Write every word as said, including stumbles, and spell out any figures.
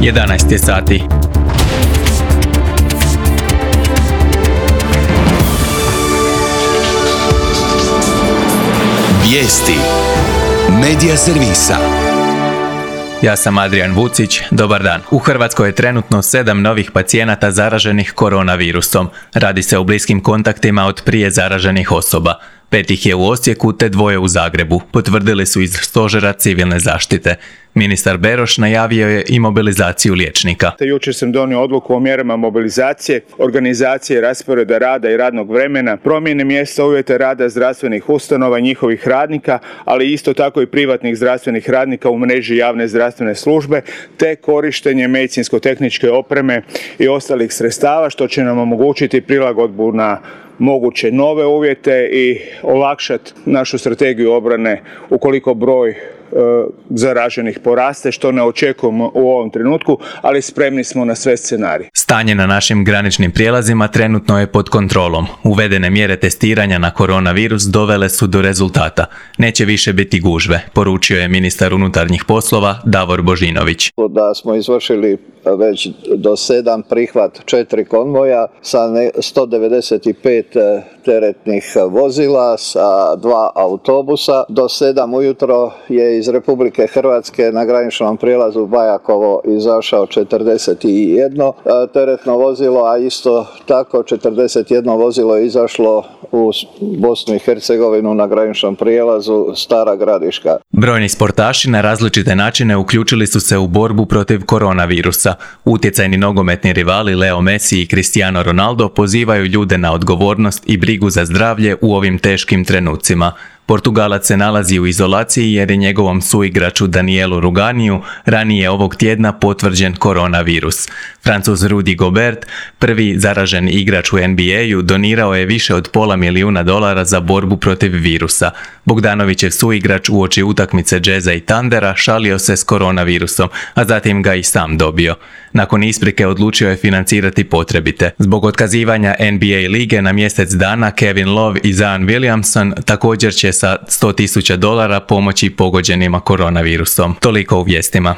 jedanaest je sati. Vijesti Medija servisa. Ja sam Adrian Vucić, dobar dan. U Hrvatskoj je trenutno sedam novih pacijenata zaraženih koronavirusom. Radi se o bliskim kontaktima od prije zaraženih osoba. Pet ih je u Osijeku te dvoje u Zagrebu, potvrdili su iz Stožera civilne zaštite. Ministar Beroš najavio je i mobilizaciju liječnika. Jučer sam donio odluku o mjerama mobilizacije, organizacije rasporeda rada i radnog vremena, promjene mjesta uvjeta rada zdravstvenih ustanova i njihovih radnika, ali isto tako i privatnih zdravstvenih radnika u mreži javne zdravstvene službe, te korištenje medicinsko-tehničke opreme i ostalih sredstava, što će nam omogućiti prilagodbu na moguće nove uvjete i olakšati našu strategiju obrane ukoliko broj zaraženih poraste, što ne očekujemo u ovom trenutku, ali spremni smo na sve scenarije. Stanje na našim graničnim prijelazima trenutno je pod kontrolom. Uvedene mjere testiranja na koronavirus dovele su do rezultata. Neće više biti gužve, poručio je ministar unutarnjih poslova Davor Božinović. Da smo izvršili već do sedam prihvat četiri konvoja sa sto devedeset pet teretnih vozila, sa dva autobusa. Do sedam ujutro je iz Republike Hrvatske na graničnom prijelazu Bajakovo izašao četrdeset jedno teretno vozilo, a isto tako četrdeset jedno vozilo je izašlo u Bosnu i Hercegovinu na graničnom prijelazu Stara Gradiška. Brojni sportaši na različite načine uključili su se u borbu protiv koronavirusa. Utjecajni nogometni rivali Leo Messi i Cristiano Ronaldo pozivaju ljude na odgovornost i brigu za zdravlje u ovim teškim trenucima. Portugalac se nalazi u izolaciji jer je njegovom suigraču Danielu Ruganiju ranije ovog tjedna potvrđen koronavirus. Francuz Rudy Gobert, prvi zaraženi igrač u N B A-u, donirao je više od pola milijuna dolara za borbu protiv virusa. Bogdanovićev suigrač uoči utakmice Jazza i Thundera šalio se s koronavirusom, a zatim ga i sam dobio. Nakon isprike odlučio je financirati potrebite. Zbog otkazivanja N B A lige na mjesec dana, Kevin Love i Zion Williamson također će sa sto tisuća dolara pomoći pogođenima koronavirusom. Toliko u vijestima.